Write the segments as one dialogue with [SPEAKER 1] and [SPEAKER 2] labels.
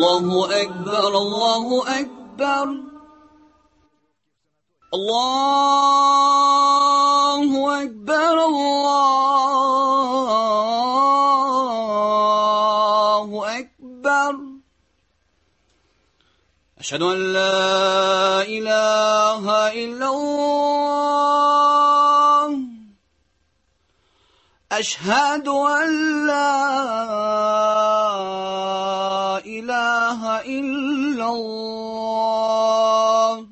[SPEAKER 1] الله أكبر الله أكبر الله أكبر الله أكبر أشهد أن لا إله إلا الله أشهد أن لا إله إلا الله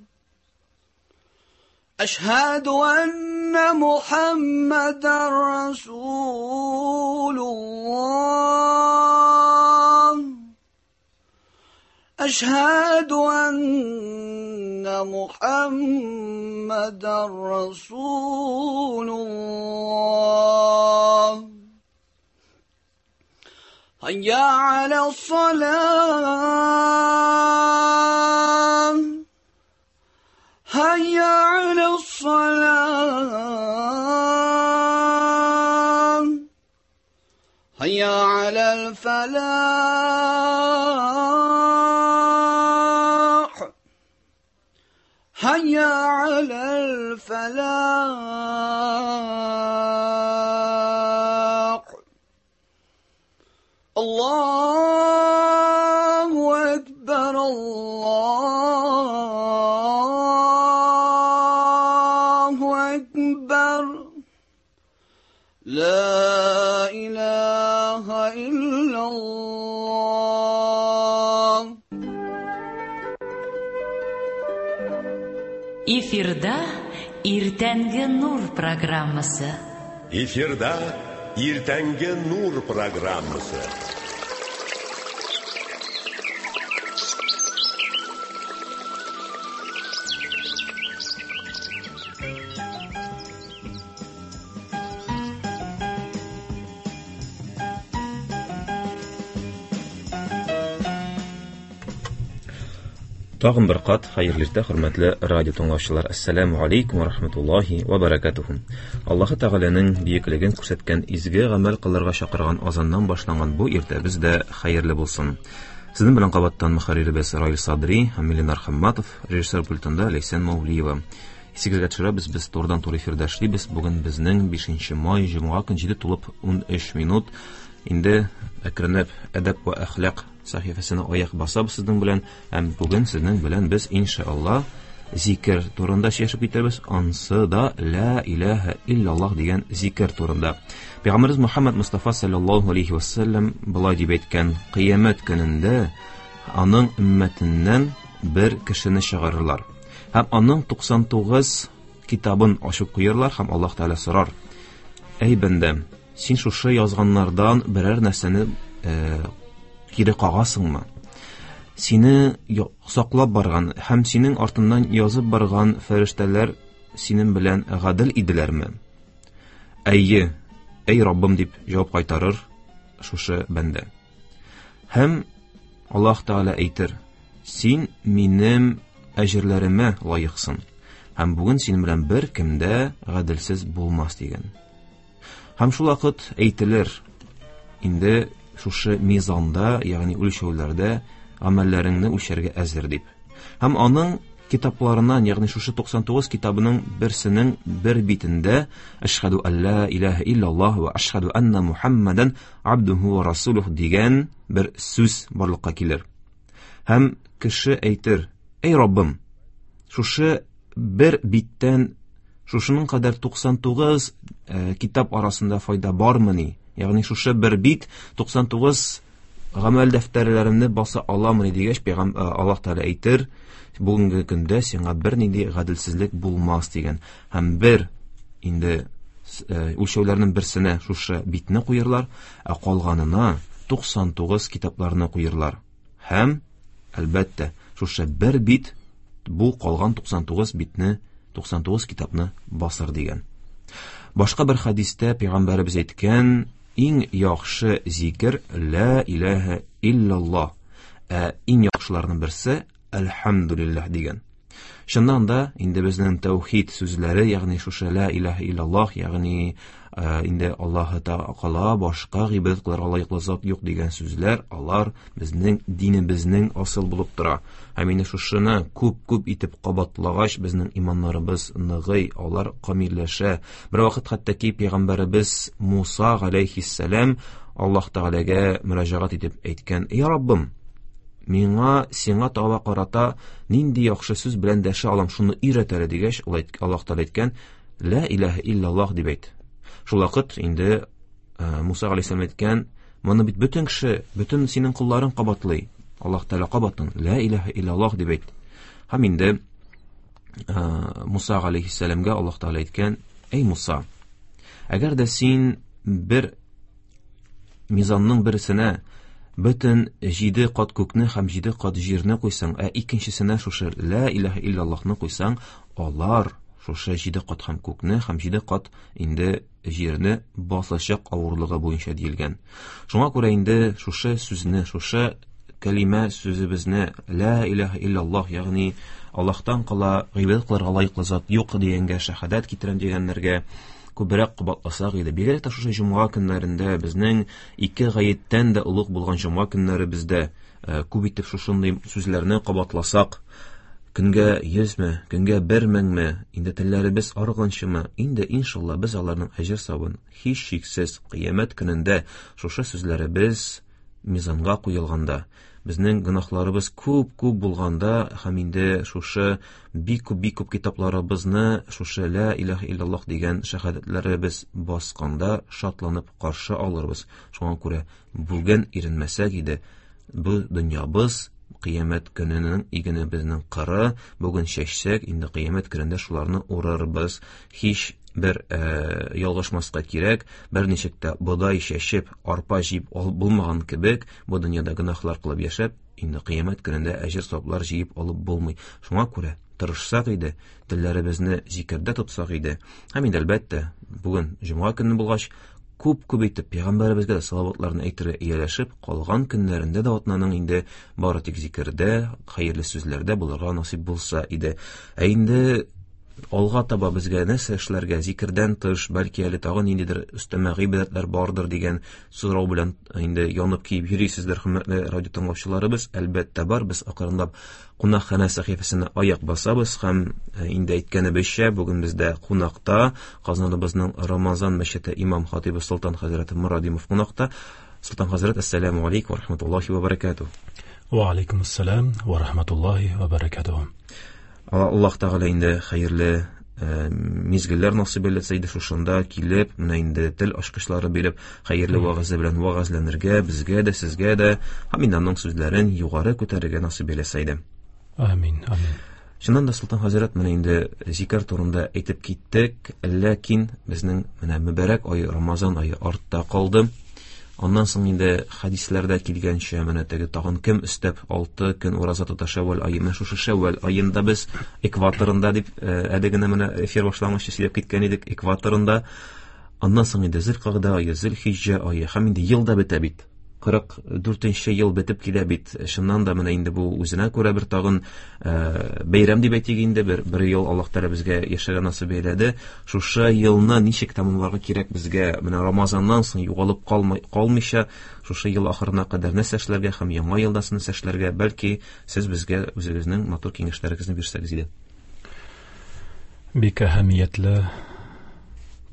[SPEAKER 1] أشهد أن محمدا رسول الله أشهد أن محمدا رسول الله هيا على الصلاة هيا على الصلاة هيا على الفلاح هيا على الفلاح الله أكبر الله أكبر لا إله إلا الله.
[SPEAKER 2] Эфирда Иртәнге нур программасы.
[SPEAKER 3] Эфирда Иртәнге нур программасы.
[SPEAKER 4] Тагын бер кат хәерле иртә, хөрмәтле радио тыңлаучылар. Ассаламу алейкум ва рахматуллахи ва баракатуху. Аллаһы Тәгаләнең бөеклеген күрсәткән изге гамәл кылырга чакырган азаннан башланган бу иртәбез дә хәерле булсын. Сезнең белән кабаттан мөхәрриребез Раил Садри һәм Ленар Хамматов, режиссер пультында Ләйсән Маулиева. Исегезгә төшерәбез, без турыдан-туры эфирда эшлибез. Бүген безнең 5 май, җомга көн 7 тулып 13 минут. Инде әкренләп әдәп ва әхлак сәхифәсенә аяк басабыз сезнең белән, һәм бүген сезнең белән без иншалла зикер турында сөйләшеп китәрбез. Ансы да ла илаһа иллаллаһ дигән зикер турында. Пәйгамбәребез Мухаммад Мустафа саллаллаһу алейхи вассалам болай дип әйткән: кыямәт көнендә аның өммәтеннән бер кешене чыгарырлар һәм аның 99 китабын ачып куярлар, һәм Аллаһ Тәгалә сорар: әй бәндәм, син шушы язганнардан берәр нәрсәне кире кагасыңмы? Сине саклап барган һәм синең артыннан язып барган фәрештәләр синең белән гадел иделәрме? Әйе, әй Раббым, дип җавап кайтарыр шушы бәндә. Һәм Аллаһ Тәгалә әйтер: син минем әҗерләремә лаексың, һәм бүген синең белән бер кем дә гаделсез булмас, дигән. Һәм шул вакыт әйтелер: инде шушы мизанда, ягъни үлчәүләрдә гамәлләреңне үлчәргә әзер, дип. Һәм аның китапларыннан, ягъни шушы 99 китабының берсенең бер битендә Әшһәду алла илаһа иллаллаһ ва әшһәду анна Мухаммадан абдуху ва расулух дигән бер сүз барлыкка килер. Һәм кеше әйтер: әй Раббым, шушы бер биттән шушының кадәр 99 китап арасында файда бармыни? Ягъни шушы бер бит 99 гамәл дәфтәрләремне баса аламыни дигәч, Аллаһ Тәгалә әйтер: бүгенге көндә сиңа бернинди гаделсезлек булмас, дигән. Һәм бер инде үлчәүләрнең берсенә шушы битне куерлар, ә калганына 99 китапларны куерлар. Һәм әлбәттә, шушы бер бит бу калган 99 битне, 99 китапны басыр, дигән. Башка бер хәдистә пәйгамбәребез әйткән: иң яхшы зикер ла илаһа иллаллаһ, ә иң яхшыларның берсе әлхәмдүлилләһ, дигән. Чыннан да инде безнең тәүхид сүзләре, ягъни шушы ла илаһа иллаллаһ, ягъни инде Аллаһы Тәгалә башка гыйбадәт кылырга лаеклы зат юк дигән сүзләр, алар безнең динебезнең асыл булып тора. Һәм инде шушыны күп-күп итеп кабатлагач, безнең иманнарыбыз ныгый, алар камилләшә. Бер вакыт хәтта ки пәйгамбәребез Муса галәйһиссәлам Аллаһ Тәгаләгә мөрәҗәгать итеп әйткән: "Я Раббым, миңа сиңа таба карата нинди яхшы сүз белән дәшә алам, шуны өйрәт әле", дигәч, ул Аллаһ Тәгалә әйткән: "Ла илаһа иллаллаһ" дип әйт. Шул вакыт инде Муса галәйһиссәлам әйткән: "Моны бит бөтен кеше, бөтен синең колларың кабатлый. Аллаһ Тәгалә кабатлан, ла илаһа иллаллаһ дип әйт". Һәм инде Муса галәйһиссәламгә Аллаһ Тәгалә әйткән: "Әй Муса, әгәр дә син бер мизанның берсенә бөтен 7 кат күкне һәм 7 кат җирне куйсаң, ә икенчесенә шушы ла илаһа иллаллаһны куйсаң, алар шушы 7 кат һәм күкне һәм 7 кат инде җирне басачак авырлыгы буенча диелгән. Шуңа күрә инде шушы сүзне, шушы кәлимә сүзебезне ла илаһа иллаллаһ, ягъни Аллаһтан кала гыйбадәт кылырга лаеклы зат юк дигәнгә шәһадәт китерәм дигәннәргә күбрәк кабатласак иде. Бигрәк тә шушы җомга көннәрендә, безнең ике гаеттән дә олуг булган җомга көннәребездә күп итеп шушындый сүзләрне кабатласак, көнгә 100-ме, көнгә 1000-ме, инде телләребез арыганчымы, инде иншалла без аларның әҗер савабын һичшиксез кыямәт көнендә шушы сүзләребез мизанга куелганда, безнең гөнаһларыбыз күп-күп булганда һәм инде шушы бик күп-бик күп китапларыбызны шушы ла илаһа иллаллаһ дигән шәһадәтләребез басканда шатланып каршы алырбыз. Шуңа күрә бүген иренмәсәк иде, бу дөньябыз кыямәт көненең игенебезнең кыры, бүген чәчсәк, инде кыямәт көнендә шуларны урырбыз. Һич бер ялгышмаска кирәк, берничек тә бодай чәчеп, арпа җыеп булмаган кебек, бу дөньяда гөнаһлар кылып яшәп, инде кыямәт көнендә әҗер саваплар җыеп алып булмый. Шуңа күрә тырышсак иде, телләребезне зикердә тотсак иде. Һәм инде әлбәттә, бүген җомга көне булгач, күп-күп итеп пәйгамбәребезгә дә салаватларны әйтергә ияләшеп, калган көннәрендә дә атнаның инде бары тик зикердә, хәерле сүзләрдә булырга насыйп булса иде. Ә инде алга таба безгә нәрсә эшләргә, зикердән тыш, бәлки әле тагын ниндидер өстәмә гыйбадәтләр бардыр дигән сорау белән инде янып киеп йөрисездер, хөрмәтле радио тыңлаучыларыбыз. Әлбәттә бар, без акрынлап кунакханә сәхифәсенә аяк басабыз һәм инде әйткәнебезчә, бүген бездә кунакта Казаныбызның Рамазан мәчете имам хатибы Солтан хәзрәт Морадимов кунакта. Солтан хәзрәт, ассаламу алейкум ва рахматуллахи ва баракатуһ.
[SPEAKER 5] Ва алейкум ассалам ва рахматуллахи ва баракатуһ.
[SPEAKER 4] Аллаһ Тәгалә инде хәерле мизгелләр насыйп әйләсә иде, шушында килеп, менә инде тел ачкычлары биреп, хәерле вәгазе белән вәгазьләнергә, безгә дә, сезгә дә, һәм инде аның сүзләрен югары күтәрергә насыйп әйләсә иде.
[SPEAKER 5] Амин, амин.
[SPEAKER 4] Чыннан да, Солтан хәзрәт, менә инде зикер турында әйтеп киттек, ләкин безнең менә мөбарәк ай, Рамазан ае артта калды. Аннан соң инде хәдисләрдә килгәнчә, менә теге тагын кем өстәп 6 көн ураза тота Шәүвәл ае, менә шушы Шәүвәл аенда без экваторында дип, әле генә менә эфир башламыйча сөйләп киткән идек, экваторында. Аннан соң инде Зөлкагъдә ае, Зөлхиҗҗә ае, һәм инде ел да бетә бит. 44 ел бетеп килә бит. Чыннан да менә инде бу үзенә күрә бер тагын бәйрәм дип әйтик инде, бер ел Аллаһ Тәгалә безгә яшәргә насыйп әйләде. Шушы елны ничек тәмамларга кирәк безгә? Менә Рамазаннан соң югалып калмыйча, шушы ел ахырына кадәр нәрсә эшләргә һәм яңа елда нәрсә эшләргә? Бәлки сез безгә үзегезнең матур киңәшләрегезне бирсәгез иде.
[SPEAKER 5] Бик әһәмиятле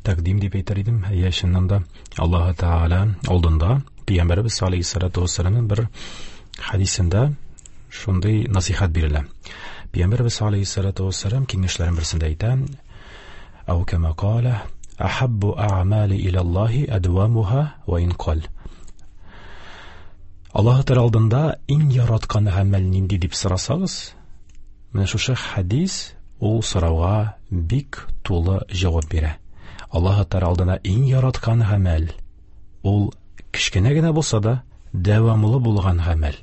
[SPEAKER 5] тәкъдим дип әйтер идем. Әйе, чыннан да Аллаһ Тәгалә алдында Пәйгамбәребез алейһиссалату вассаламның бер хәдисендә шундый насихат бирелә. Пәйгамбәребез алейһиссалату вассалам киңәшләренең берсендә әйтә: Ау кама кала, ахаббу а'мали ила Аллаһи адвамуха ва ин кал. Аллаһ Тәгалә алдында иң яраткан гамәл нинди дип сорасагыз, менә шушы хәдис ул сорауга бик тулы җавап бирә. Аллаһ Тәгалә алдына иң яраткан гамәл ул кечкенә генә булса да дәвамлы булган гамәл.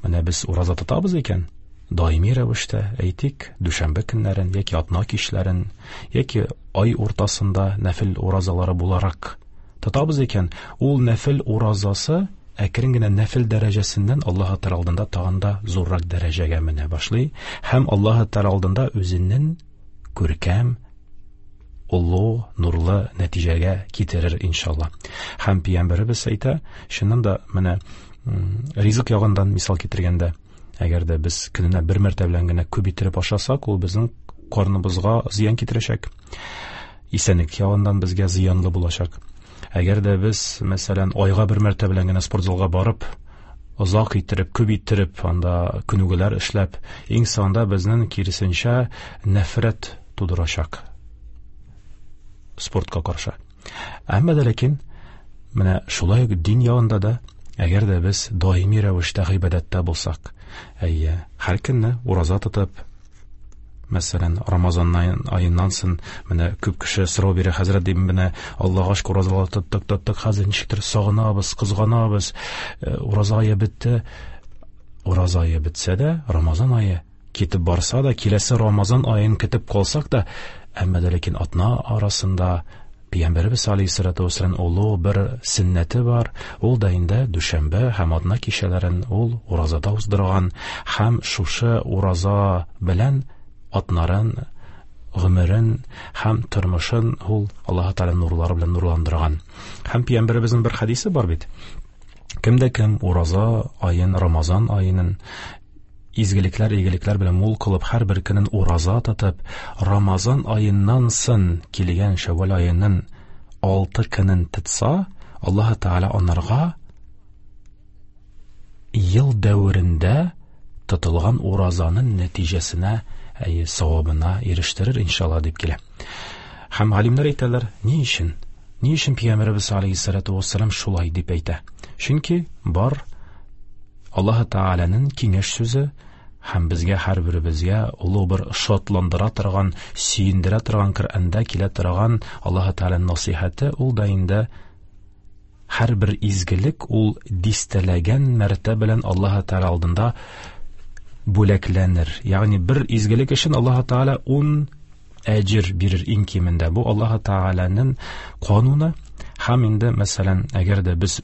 [SPEAKER 5] Менә без ураза тотабыз икән, даими рәвештә, әйтик, дүшәмбе көннәрен яки атна кичләрен, яки ай уртасында нәфил уразалары буларак тотабыз икән, ул нәфил уразасы әкрен генә нәфил дәрәҗәсеннән Аллаһ Тәгалә алдында тагын да зуррак дәрәҗәгә менә башлый һәм Аллаһ Тәгалә алдында үзенең күркәм, олы, нурлы нәтиҗәгә китерер иншалла. Һәм пәйгамбәребез әйтә, чыннан да менә ризык ягыннан мисал китергәндә, әгәр дә без көненә бер мәртәбә белән генә күп иттереп ашасак, ул безнең карныбызга зыян китерәчәк. Исәнлек ягыннан безгә зыянлы булачак. Әгәр дә без, мәсәлән, айга бер мәртәбә белән генә спортзалга барып, озак иттереп, күп иттереп, анда күнегүләр эшләп, иң соңында безнең киресенчә нәфрәт тудырачак спортка каршы. Әмма дә ләкин менә шулай ук дин ягында да, әгәр дә без даими рәвештә гыйбадәттә булсак, әйе, һәр көнне ураза тотып, мәсәлән, Рамазан аеннан соң менә күп кеше сорау бирә, хәзрәт, дим, менә Аллаһка шөкер, уразалар тоттык, тоттык, хәзер ничектер сагынабыз, кызганабыз, ураза ае бетте. Ураза ае бетсә дә, Рамазан ае китеп барса да, киләсе Рамазан аен көтеп калсак та, әмма дә ләкин атна арасында Пәйгамбәребез алейһиссалату вассалам олы бер сөннәте бар, ул да инде дүшәмбе һәм атна кичәләрен ул уразада уздырган һәм шушы ураза белән атнарын, гомерен һәм тормышын ул Аллаһ Тәгалә нурлары белән нурландырган. Һәм Пәйгамбәребезнең бер хәдисе бар бит. Кем дә кем ураза аен, Рамазан аенын изгелекләр, игелекләр белән мул кылып, һәрбер көнен ураза тотып, Рамазан аеннан сын килгән Шәввәл аенын 6 көнен тотса, Аллаһ Тәгалә анарга ел дәверендә тотылган уразаның нәтиҗәсенә, әйе, савабына ирештерер иншалла дип килә. Һәм галимнәр әйтәләр, ни өчен? Ни өчен Пәйгамбәребез алейһиссалату вассалам шулай дип әйтә? Чөнки бар Аллаһ Тәгаләнең киңәш сүзе һәм безгә һәрберебезгә олы бер шатландыра торган, сөендерә торган Коръәндә килә торган Аллаһ Тәгаләнең насыйхәте, ул да инде һәрбер изгелек ул дистәләгән мәртәбә белән Аллаһ Тәгалә алдында бүләкләнер. Ягъни бер изгелек өчен Аллаһ Тәгалә 10 әҗер бирер иң кимендә. Бу Аллаһ Тәгаләнең кануны. Һәм инде, мәсәлән, әгәр дә без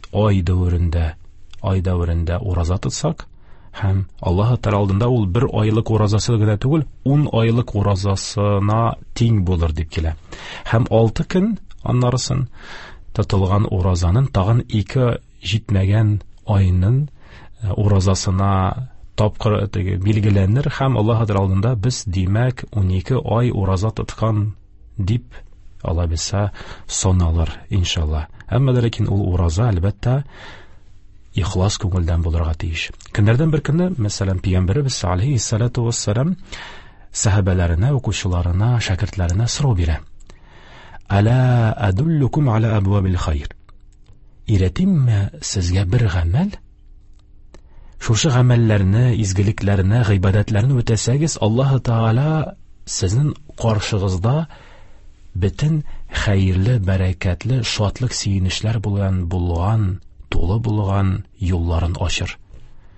[SPEAKER 5] ай дәверендә ураза тотсак, һәм Аллаһ Тәгалә алдында ул бер айлык уразасы гына түгел, 10 айлык уразасына тиң булыр дип килә. Һәм 6 көн аннарысын тотылган уразаның тагын 2 җитмәгән айның уразасына тапкыр теге билгеләнер һәм Аллаһ Тәгалә алдында без, димәк, 12 ай ураза тоткан дип Алла бирсә саналыр иншалла. Әмма дә ләкин ул ураза әлбәттә ихлас күңелдән булырга тиеш. Көннәрдән бер көнне, мәсәлән, Пәйгамбәребез алейһиссалату вассалам сәхабәләренә, укучыларына, шәкертләренә сорау бирә. Әла адуллукум аля абвабил хайр. Өйрәтимме сезгә бер гамәл? Шушы гамәлләрне, изгелекләрне, гыйбадәтләрне үтәсәгез, Аллаһ Тәгалә сезнең каршыгызда бөтен хәерле, бәрәкәтле, шатлык, сөенечләр булган, тулы булган юлларын ачыр.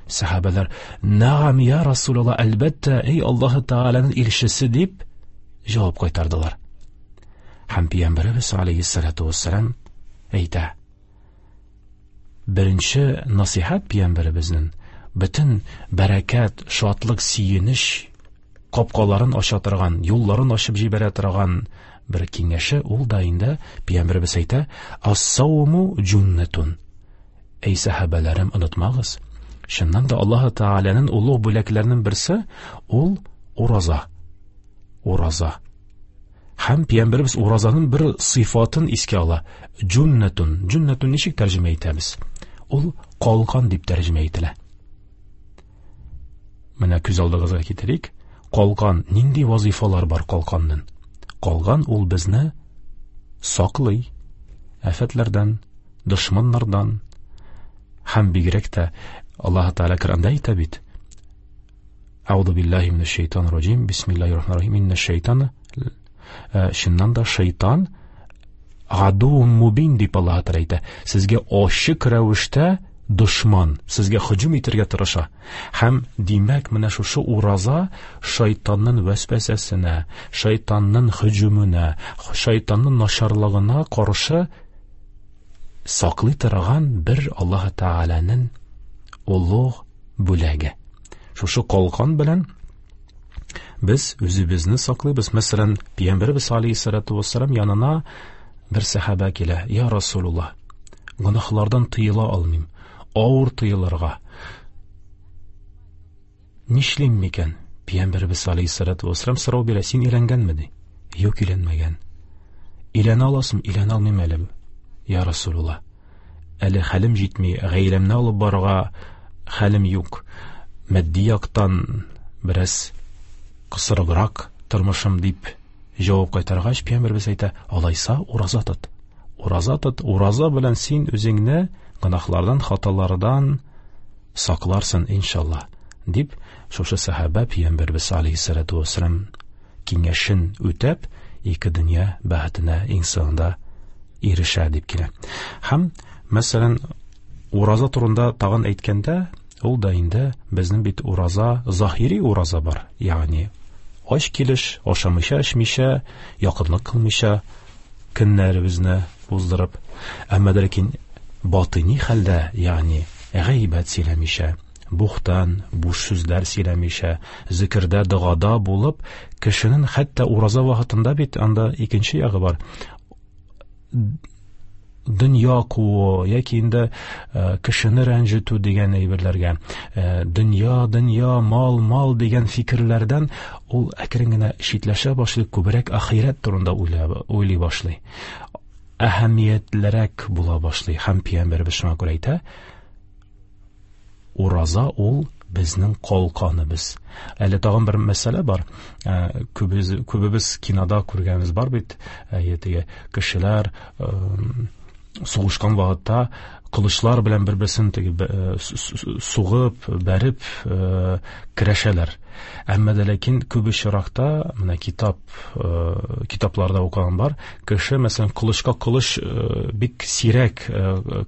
[SPEAKER 5] Сәхабәләр, Нәгам я Расулаллах, әлбәттә, эй Аллаһ Тәгаләнең илчесе дип җавап кайтардылар. Һәм Пәйгамбәребез алейһиссалату вассалам әйтә: Беренче насыйхат Пәйгамбәребезнең бөтен бәрәкәт, шатлык, сөенеч капкаларын ача торган, юлларын ачып җибәрә торган бер киңәше, ул да инде Пәйгамбәребез әйтә: Ас-сауму җуннатун. Эй сәхабәләрем, онытмагыз, чыннан да Аллаһ Тәгаләнең олуг бүләкләренең берсе ул ураза. Ураза. Һәм Пәйгамбәребез уразаның бер сыйфатын искә ала. Җуннатун. Җуннатун ничек тәрҗемә итәбез? Ул калкан дип тәрҗемә ителә. Менә күз алдыгызга китерик. Калкан, нинди вазифалар бар калканның? Калкан ул безне саклый афәтләрдән, дошманнардан. Һәм бигрәк тә Аллаһ Тәгалә Коръәндә әйтә бит: Аузу биллаһи минәш шайтанир раҗим. Бисмиллаһир рахманир рахим. Инна шайтана, чыннан да шайтан гадуун мубин дип Аллаһ Тәгалә әйтә. Сезгә ачык рәвештә дошман, сезгә һөҗүм итәргә тырыша. Һәм димәк, менә шушы ураза шайтанның вәсвәсәсенә, шайтанның һөҗүменә, шайтанның начарлыгына каршы саклый торган бер Аллаһ Тәгаләнең олуг бүләге. Шушы калкан белән без үзебезне саклыйбыз. Мәсәлән, Пәйгамбәребез алейһиссалату вассалам янына бер сәхабә килә. Я Расулуллаһ, гөнаһлардан тыела алмыйм, авыр тыелырга. Нишлим микән? Пәйгамбәребез алейһиссалату вассалам сорау бирә, син өйләнгәнме ди? Юк, өйләнмәгән. Өйләнә аласың, өйләнә алмыйм әле. Я Расулуллаһ, әле хәлем җитми, гаиләмне алып барырга хәлем юк. Матди яктан бераз кысырыграк тормышым дип җавап кайтаргач, Пәйгамбәребез әйтә, алайса ураза тот. Ураза тот, ураза белән син үзеңне гөнаһлардан, хаталардан сакларсың, иншалла, дип шушы сәхабә Пәйгамбәребез алейһиссалату вассалам киңәшен үтәп, ике дөнья бәхетенә иң соңында ирешә дип килә. Һәм, мәсәлән, ураза турында тагын әйткәндә, ул да инде безнең бит ураза, заһири ураза бар, ягъни ач килеш, ашамыйча, эчмичә, якынлык кылмыйча көннәребезне уздырып, әмма дә ләкин батыни хәлдә, ягъни гайбәт сөйләмичә, бухтан, буш сүзләр сөйләмичә, зикердә, догада булып, кешенең хәтта ураза вакытында бит анда икенче ягы бар. Дөнья куу яки инде кешене рәнҗетү дигән әйберләргә, дөнья, дөнья, мал, мал дигән фикерләрдән ул әкрен генә читләшә башлый, күбрәк ахирәт турында уйлый башлый. Әһәмиятлерәк була башлый. Һәм Пәйгамбәребез шуңа күрә әйтә, ураза ул безнең калканыбыз. Әле тагын бер мәсьәлә бар. Күбебез кинода күргәнебез бар бит. Теге кешеләр сугышкан вакытта кылычлар белән бер-берсен теге сугып, бәреп көрәшәләр. Әмма дә ләкин күп очракта, менә китапларда укыган бар, кеше, мәсәлән, кылычка кылыч бик сирәк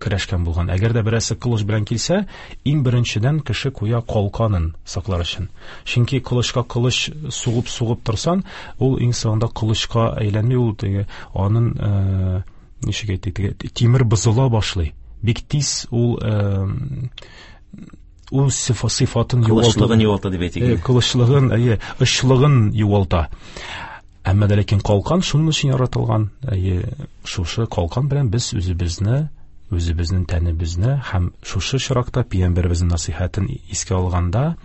[SPEAKER 5] көрәшкән булган. Әгәр дә берәрсе кылыч белән килсә, иң беренчедән кеше куя калканын саклар өчен. Чөнки кылычка кылыч сугып-сугып торсан, ул иң соңында кылычка әйләнми, ул теге аның ничек әйтик, теге тимер бозыла башлый. Бик тиз ул ул сыйфатын югалта.
[SPEAKER 4] Кылычлыгын югалта дип әйтик.
[SPEAKER 5] Кылычлыгын, әйе, очлыгын югалта. Әмма дә ләкин калкан шуның өчен яратылган. Әйе, шушы калкан белән без үзебезне, үзебезнең тәнебезне һәм шушы очракта Пәйгамбәребезнең насыйхатын искә алганда,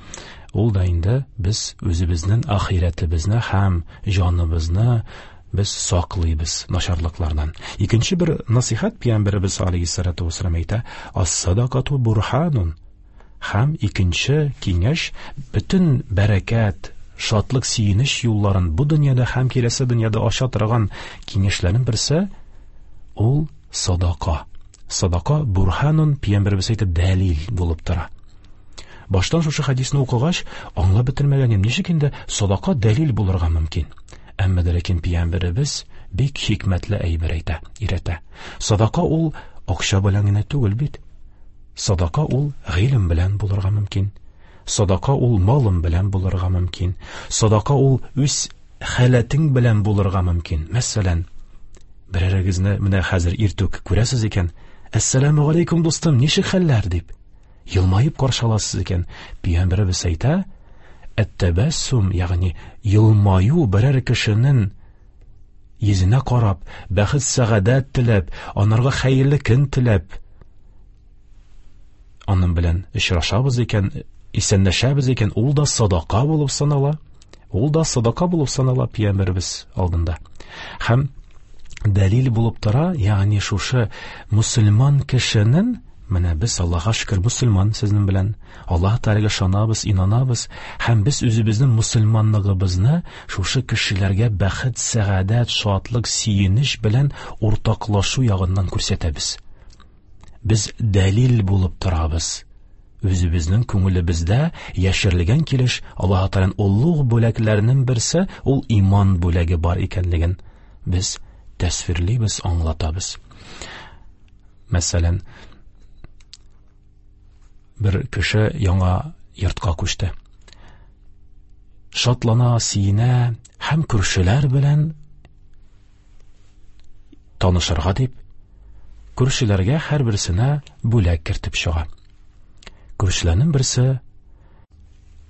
[SPEAKER 5] ул да инде без үзебезнең ахирәтебезне һәм җаныбызны без саклыйбыз начарлыклардан. Икенче бер насыйхат Пәйгамбәребез алейһиссалату вассалам әйтә, ас-садакату бурханун. Һәм икенче киңәш, бөтен бәрәкәт, шатлык, сөенеч юлларын бу дөньяда һәм киләсе дөньяда ача торган киңәшләрнең берсе ул садака. Садака бурханун, Пәйгамбәребез әйтеп, дәлил булып тора. Баштан шушы хәдисне укыгач, аңлап бетермәгән идем, ничек инде садака дәлил булырга мөмкин? Әмма дә ләкин Пәйгамбәребез бик хикмәтле әйбер әйтә, өйрәтә. Садака ул акча белән генә түгел бит. Садака ул гыйлем белән булырга мөмкин. Садака ул малым белән булырга мөмкин. Садака ул үз халәтең белән булырга мөмкин. Мәсәлән, берәрегезне менә хәзер иртүк күрәсез икән, Әссәламү алейкум, дустым, ничек хәлләр дип елмаеп каршы аласыз икән. Пәйгамбәребез әйтә, әт-тәбәссум, ягъни елмаю берәр кешенең йөзенә карап, бәхет сәгадәт теләп, анарга хәерле көн теләп, аның белән очрашабыз икән, исәнләшәбез икән, ул да садака булып санала. Ул да садака булып санала Пәйгамбәребез алдында. Һәм дәлил булып тора, ягъни шушы мөселман кешенең, менә без Аллаһка шөкер мөселман сезнең белән, Аллаһ Тәгаләгә ышанабыз, инанабыз, һәм без үзебезнең мөселманлыгыбызны шушы кешеләргә бәхет, сәгадәт, шатлык, сөенеч белән уртаклашу ягыннан күрсәтәбез. Без дәлил булып торабыз. Үзебезнең күңелебездә яшерелгән килеш Аллаһ Тәгаләнең олуг бүләкләренең берсе ул иман бүләге бар икәнлеген без тәсвирлибез, аңлатабыз. Мәсәлән, бер кеше яңа йортка күчте. Шатлана, сөенә һәм күршеләр белән танышырга дип, Күршеләргә һәрберсенә бүләк кертеп чыга. Күршеләрнең берсе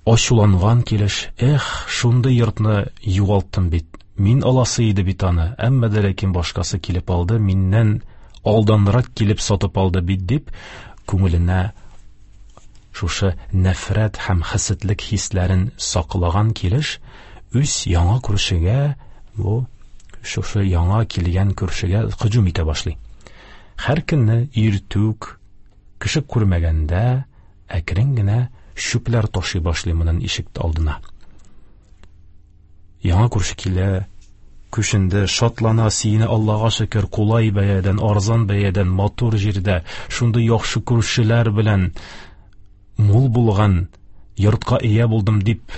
[SPEAKER 5] ачуланган килеш: "Эх, шундый йортны югалттым бит. Мин аласы иде бит аны, әмма дә ләкин башкасы килеп алды, миннән алданрак килеп сатып алды бит", дип, күңеленә шушы нәфрәт һәм хәсәтлек хисләрен саклаган килеш, үз яңа күршегә, бу шушы яңа килгән күршегә һөҗүм итә башлый. Һәр көнне иртүк, кеше күрмәгәндә, әкрен генә чүпләр ташый башлый моның ишек алдына. Яңа күрше килә, күченде, шатлана, сөенә, Аллага шөкер, кулай бәядән, арзан бәядән, матур җирдә, шундый яхшы күршеләр белән мул булган йортка ия булдым дип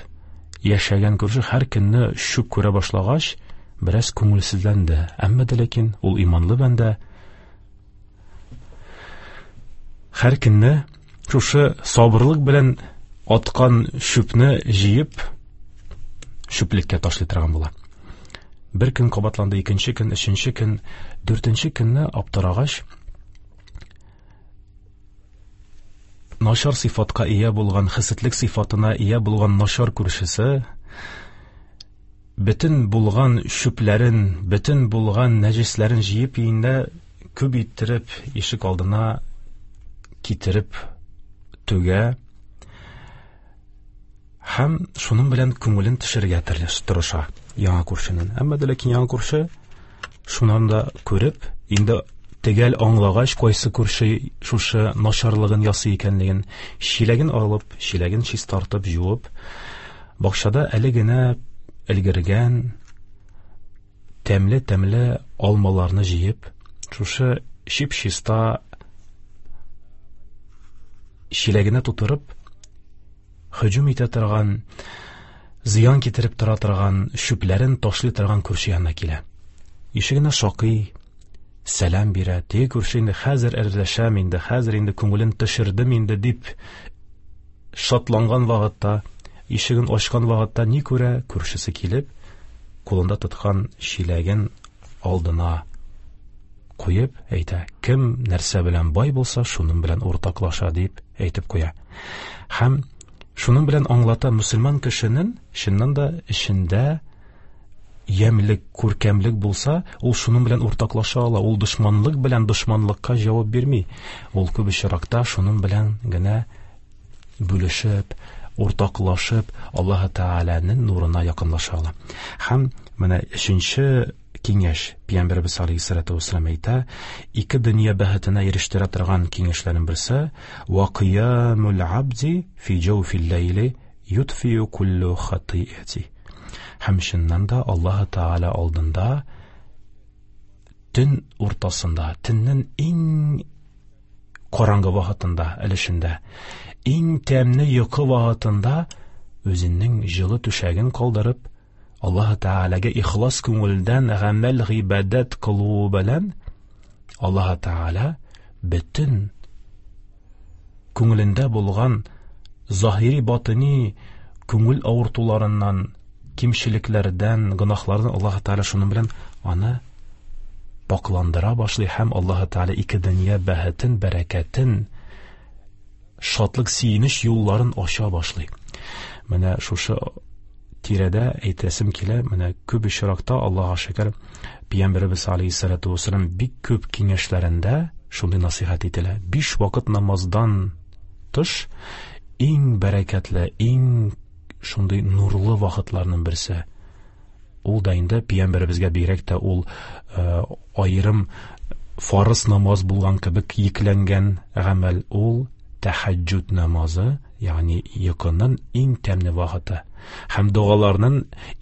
[SPEAKER 5] яшәгән күрше һәр көнне чүп күрә башлагач, бераз күңелсезләнде. Әмма дә ләкин ул иманлы бәндә һәр көнне шушы сабырлык белән аткан чүпне җыеп чүплеккә ташлый торган була. Бер көн кабатланды, икенче көн, өченче көн, дүртенче көнне аптырагач, начар сыйфатка ия булган, хәсәтлек сыйфатына ия булган начар күршесе бөтен булган чүпләрен, бөтен булган нәҗесләрен җыеп өендә күп иттереп ишек алдына китереп түгә һәм шуның белән күңелен төшерергә тырыша яңа күршенең. Әмма дә ләкин яңа күрше шуннан да күреп, инде төгәл аңлагач, кайсы күрше шушы начарлыгын ясый икәнлеген, чиләген алып, чиләген чистартып, жуып, бакчада әле генә өлгергән тәмле-тәмле алмаларны җыеп, шушы чип-чиста чиләгенә тутырып, һөҗүм итә торган, зыян китереп тора торган, чүпләрен ташлый торган күрше янына килә. Ишегенә шакый, сәлам бирә. Теге күрше инде хәзер әрләшәм инде, хәзер инде күңелен төшердем инде дип шатланган вакытта, ишеген ачкан вакытта ни күрә? Күршесе килеп, кулында тоткан чиләген алдына куеп әйтә: "Кем нәрсә белән бай булса, шуның белән уртаклаша", дип әйтеп куя. Һәм шуның белән аңлата мөселман кешенең чыннан да эчендә ямьлек, күркәмлек булса, ул шуның белән уртаклаша ала. Ул дошманлык белән дошманлыкка җавап бирми. Ул күп очракта шуның белән генә бүлешеп, уртаклашып, Аллаһ Тәгаләнең нурына якынлаша ала. Һәм менә өченче киңәш, Пәйгамбәребез алейһиссалату вассалам әйтә, ике дөнья бәхетенә ирештерә торган киңәшләрнең берсе: "Ва кыямул абди фи җауфил ләйли ютфиу куллу хатиати". Һәм чыннан да Аллаһ Тәгалә алдында төн уртасында, төннең иң караңгы вакытында, өлешендә, иң тәмле йокы вакытында үзенең җылы түшәген калдырып, Аллаһ Тәгаләгә ихлас күңелдән гамәл гыйбадәт кылуы белән Аллаһ Тәгалә бөтен күңелендә булган заһири батыни күңел авыртуларыннан, кимчелекләрдән, гөнаһлардан Аллаһ Тәгалә шуның белән аны пакландыра башлый һәм Аллаһ Тәгалә ике дөнья бәхетен, бәрәкәтен, шатлык, сөенеч юлларын ача башлый. Менә шушы тирәдә әйтәсем килә, менә күп очракта Аллаһка шөкер, Пәйгамбәребез алейһиссалату вассалам бик күп киңәшләрендә шундый насыйхат ителә. 5 вакыт намаздан тыш иң бәрәкәтле, иң шундый нурлы вакытларның берсе. Ул да инде Пәйгамбәребезгә бигрәк тә ул аерым фарыз намаз булган кебек йөкләнгән гамәл, ул тәһәҗҗүд намазы, ягъни йокының иң тәмле вакыты һәм догаларның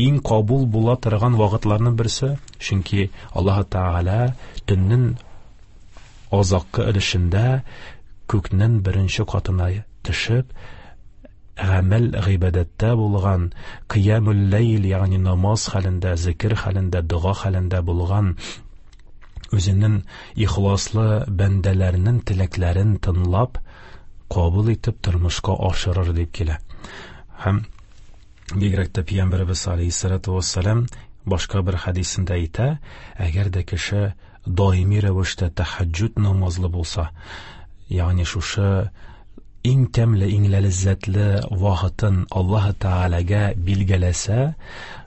[SPEAKER 5] иң кабул була торган вакытларның берсе, чөнки Аллаһ Тәгалә төннең азаккы өлешендә күкнең беренче катына төшеп, гамәл гыйбадәттә булган, кыямул ләйл, ягъни намаз хәлендә, зикер хәлендә, дога хәлендә булган үзенең ихласлы бәндәләренең теләкләрен тыңлап, кабул итеп тормышка ашырыр дип килә. Һәм бигрәк тә Пәйгамбәребез алейһиссалату вассалам башка бер хәдисендә әйтә, әгәр дә кеше даими рәвештә тәһәҗҗүд намазлы булса, ягъни шушы иң тәмле, иң ләззәтле вакытын Аллаһ Тәгаләгә билгеләсә,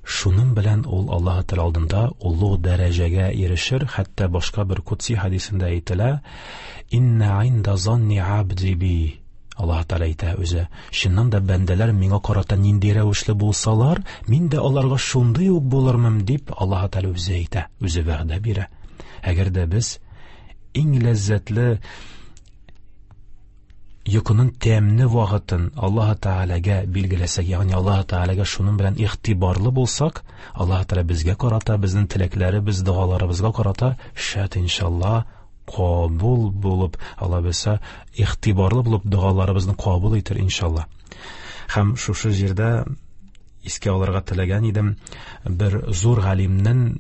[SPEAKER 5] шуның белән ул Аллаһ Тәгалә алдында олуг дәрәҗәгә ирешер. Хәтта башка бер кудси хәдисендә әйтелә: "Инна инда занни абди би". Аллаһ Тәгалә әйтә үзе: "Чыннан да бәндәләр миңа карата нинди рәвешле булсалар, мин дә аларга шундый ук булырмын", дип Аллаһ Тәгалә үзе әйтә, үзе вәгъдә бирә. Әгәр дә без иң ләззәтле йокының тәмле вакытын Аллаһ Тәгаләгә билгеләсәк, ягъни Аллаһ Тәгаләгә шуның белән игътибарлы булсак, Аллаһ Тәгалә безгә карата, безнең теләкләребез, догаларыбызга карата шәт иншалла кабул булып, Алла бирсә, игътибарлы булып догаларыбызны кабул итер иншалла. Һәм шушы җирдә искә алырга теләгән идем бер зур галимнең,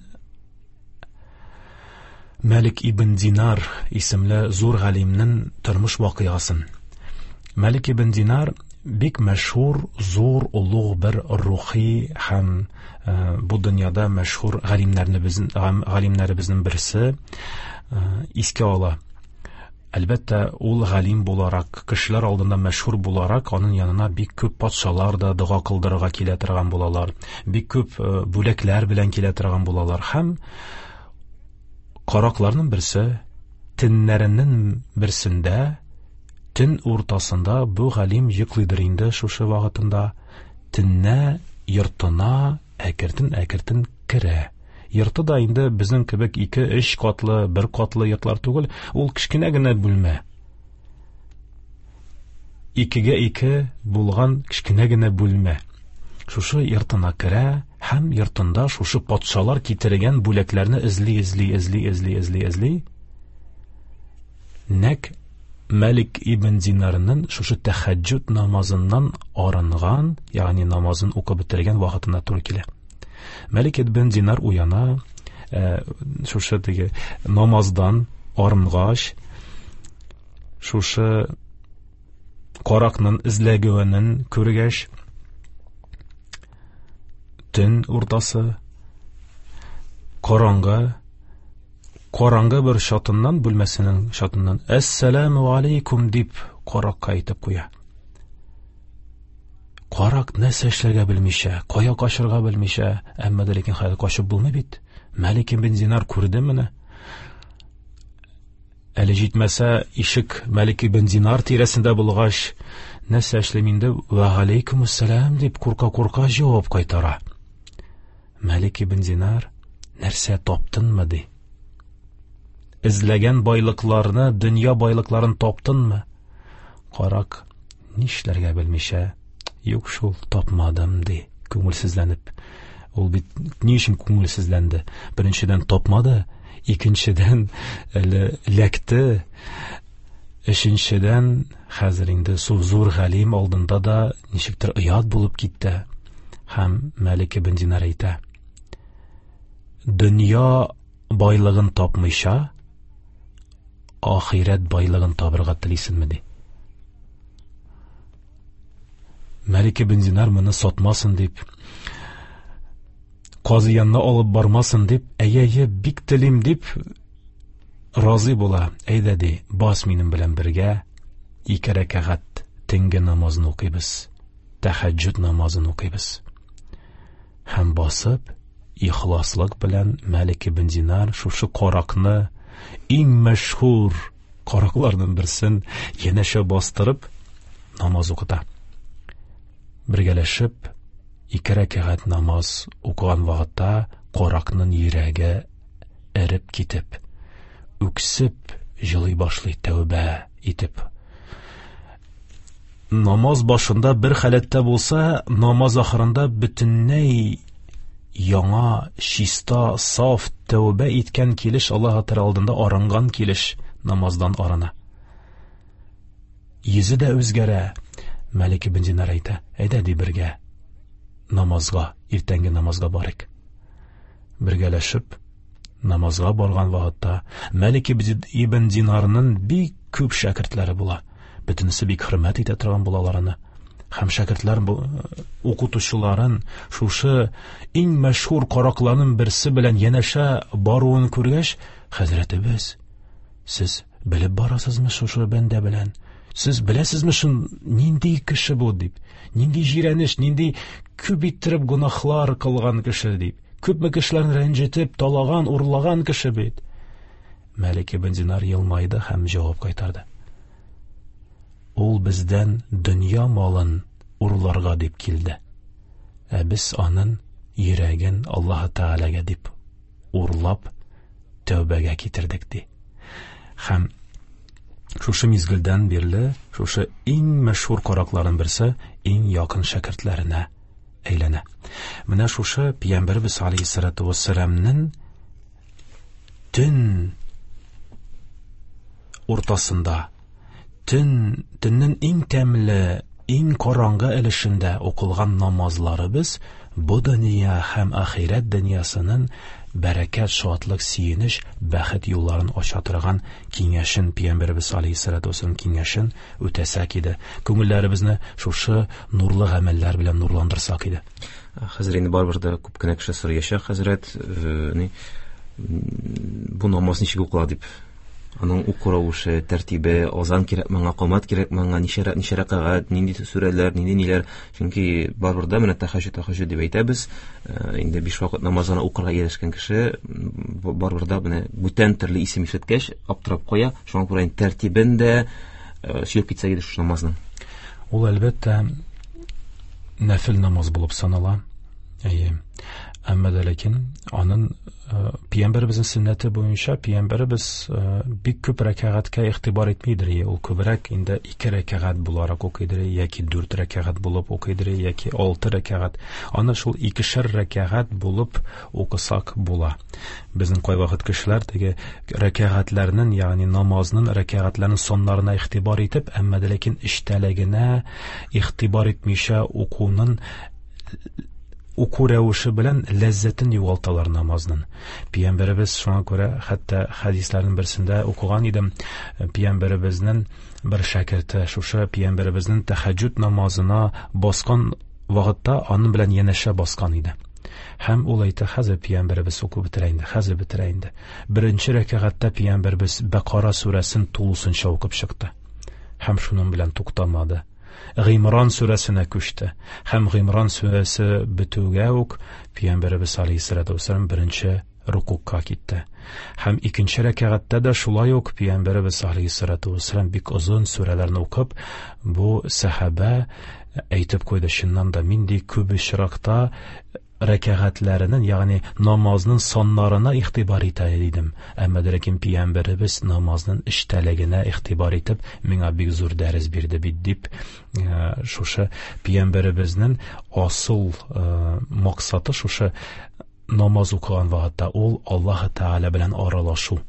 [SPEAKER 5] Мәлик ибн Динар исемле зур галимнең тормыш вакыйгасын. Мәлик ибн Динар бик мәшһүр, зур, олуг бер рухи һәм бу дөньяда мәшһүр галимнәребезнең берсе искә ала. Әлбәттә, ул галим буларак, кешеләр алдында мәшһүр буларак, аның янына бик күп патшалар да дога кылдырырга килә торган булалар, бик күп бүләкләр белән килә торган булалар. Һәм каракларның берсе төннәренең берсендә, төн уртасында бу галим йоклыйдыр инде шушы вакытында, төннә йортына әкертен-әкертен керә. Йорты да инде безнең кебек 2-3 катлы, 1 катлы йортлар түгел, ул кечкенә генә бүлмә. 2-гә 2 булган кечкенә генә бүлмә. Шушы йортына керә һәм йортында шушы патшалар китергән бүләкләрне эзли, эзли, эзли, эзли, эзли, эзли. Нәк Мәлик ибн Динарның шушы тәһәҗҗүд намазыннан арынган, ягъни намазын укып бетергән вакытына туры килә. Мәлик ибн Динар уяна, шушы теге намаздан арынгач, шушы каракның эзләгәнен күргәч, төн уртасы, караңгы, караңгы бер чатыннан, бүлмәсенең чатыннан «Әссәләмү алейкум» дип каракка әйтеп куя. Карак нәрсә эшләргә белмичә, кая качырга белмичә, әмма дә ләкин хәзер качып булмый бит. Мәлик ибн Динар күрде моны. Әле җитмәсә, ишек Мәлик ибн Динар тирәсендә булгач, нәрсә эшлим инде? Вә алейкумуссәлам дип курка-курка җавап кайтара. Мәлик ибн Динар, нәрсә таптыңмы, ди. Эзләгән байлыкларны, дөнья байлыкларын таптыңмы? Карак нишләргә белмичә, юк шул, тапмадым, ди, күңелсезләнеп. Ул бит ни өчен күңелсезләнде? Беренчедән тапмады, икенчедән әле ләкте, өченчедән хәзер инде зур галим алдында да ничектер оят булып китте. Һәм Мәлик ибн Динар әйтә: дөнья байлыгын тапмыйча, ахирәт байлыгын табырга телисеңме, ди. Мәлик ибн Динар моны сатмасын дип, казый янына алып бармасын дип, әйе-әйе, бик телим дип разый була. Әйдә, ди, бас минем белән бергә 2 рәкәгать төнге намазын укыйбыз, тәһәҗҗүд намазын укыйбыз. Һәм басып, ихласлык белән Мәлик ибн Динар шушы каракны, иң мәшһүр каракларның берсен янәшә бастырып намаз укыта. Бергәләшеп 2 рәкәгать намаз укыган вакытта каракның йөрәге эреп китеп, үксеп җылый башлый, тәүбә итеп. Намаз башында бер халәттә булса, намаз ахырында бөтенләй яңа, чиста, саф тәүбә иткән килеш, Аллаһ Тәгалә алдында арынган килеш намаздан арына. Йөзе дә үзгәрә. Мәлик ибн Динар әйтә: әйдә, ди, бергә намазга, иртәнге намазга барыйк. Бергәләшеп намазга барган вакытта Мәлик ибн Динарның бик күп шәкертләре була. Бөтенесе бик хөрмәт итә торган булалар аны. Һәм шәкертләр укытучыларын шушы иң мәшһүр каракларның берсе белән янәшә баруын күргәч, Хәзрәтебез, сез белеп барасызмы шушы бәндә белән? Сез беләсезме шун нинди кеше бу дип? Нинди җирәнеш, нинди күп иттереп гөнаһлар кылган кеше дип? Күпме кешеләрне рәнҗетеп, талаган, урлаган кеше бит. Мәлик ибн Динар елмайды һәм җавап кайтарды. Ул бездән дөнья малын урларга дип килде. Ә без анын йөрәген Аллаһы Тәгаләгә дип урлап тәүбәгә китердек ди. Һәм шушы мизгелдән бирле шушы иң мәшһүр каракларның берсе иң якын шәкертләренә әйләнә. Менә шушы Пәйгамбәрбез алейһиссалату вассаламның төн уртасында, төннең иң тәмле, иң караңгы өлешендә укылган намазларыбыз бу дөнья һәм ахирәт дөньясының бәрәкәт, шатлык, сөенеч, бәхет юлларын ача торган киңәшен, Пәйгамбәребез алейһиссалату вассалам киңәшен үтәсәк иде. Күңелләребезне шушы нурлы гамәлләр белән нурландырсак иде.
[SPEAKER 4] Хәзер инде барыбер дә күп кенә кеше сораячак, хәзрәт, бу намаз ничек укыла дип. Аның уку рәвеше, тәртибе, азан кирәк моңа, камат кирәк моңа, ничә рәкәгать, нинди сүрәләр, нинди ниләр. Чөнки барыбер дә менә тәһәҗҗүд, тәһәҗҗүд дип әйтәбез. Инде 5 вакыт намазын укырга ирешкән кеше барыбер дә менә бүтән төрле исем ишеткәч аптырап куя. Шуңа күрә инде тәртибен дә сөйләп китсәк иде шушы намазның.
[SPEAKER 5] Ул әлбәттә нәфил намаз булып санала. Әйе. Әмма дә ләкин аның Пәйгамбәребезнең сөннәте буенча Пәйгамбәребез бик күп рәкәгатькә игътибар итмидер. Ул күбрәк инде 2 рәкәгать буларак укыйдыр, яки 4 рәкәгать булып укыйдыр, яки 6 рәкәгать. Аны шул 2-шәр рәкәгать булып укысак була. Безнең кайвакыт кешеләр теге рәкәгатьләрнең, ягъни намазның рәкәгатьләрнең саннарына игътибар итеп, әмма дә ләкин эчтәлегенә игътибар итмичә укуның уку рәвеше белән ләззәтен югалталар намазның. Пәйгамбәребез шуңа күрә хәтта хәдисләрнең берсендә укыган идем, Пәйгамбәребезнең бер шәкерте шушы Пәйгамбәребезнең тәһәҗҗүд намазына баскан вакытта аның белән янәшә баскан иде. Һәм ул әйтә, хәзер Пәйгамбәребез укып бетерә инде, хәзер бетерә инде. Беренче рәкәгатьтә Пәйгамбәребез Бәкара сүрәсен тулысынча укып чыкты. Һәм шуның белән туктамады. Гыймран сүрәсенә күчте. Һәм Гыймран сүрәсе бетүгә үк Пәйгамбәребез алейһиссалату вассалам беренче рукукка китте. Һәм икенче рәкәгатьтә дә шулай ук Пәйгамбәребез алейһиссалату вассалам бик озын сүрәләрне укып, бу сәхабә әйтеп куйды, чыннан да мин ди күп очракта рәкәгатьләренең, ягъни намазның саннарына игътибар итә идем. Әмма дә ләкин Пәйгамбәребез намазның эчтәлегенә игътибар итеп, миңа бик зур дәрес бирде бит дип, шушы Пәйгамбәребезнең асыл максаты шушы намаз укыган вакытта ул Аллаһ Тәгалә белән аралашу.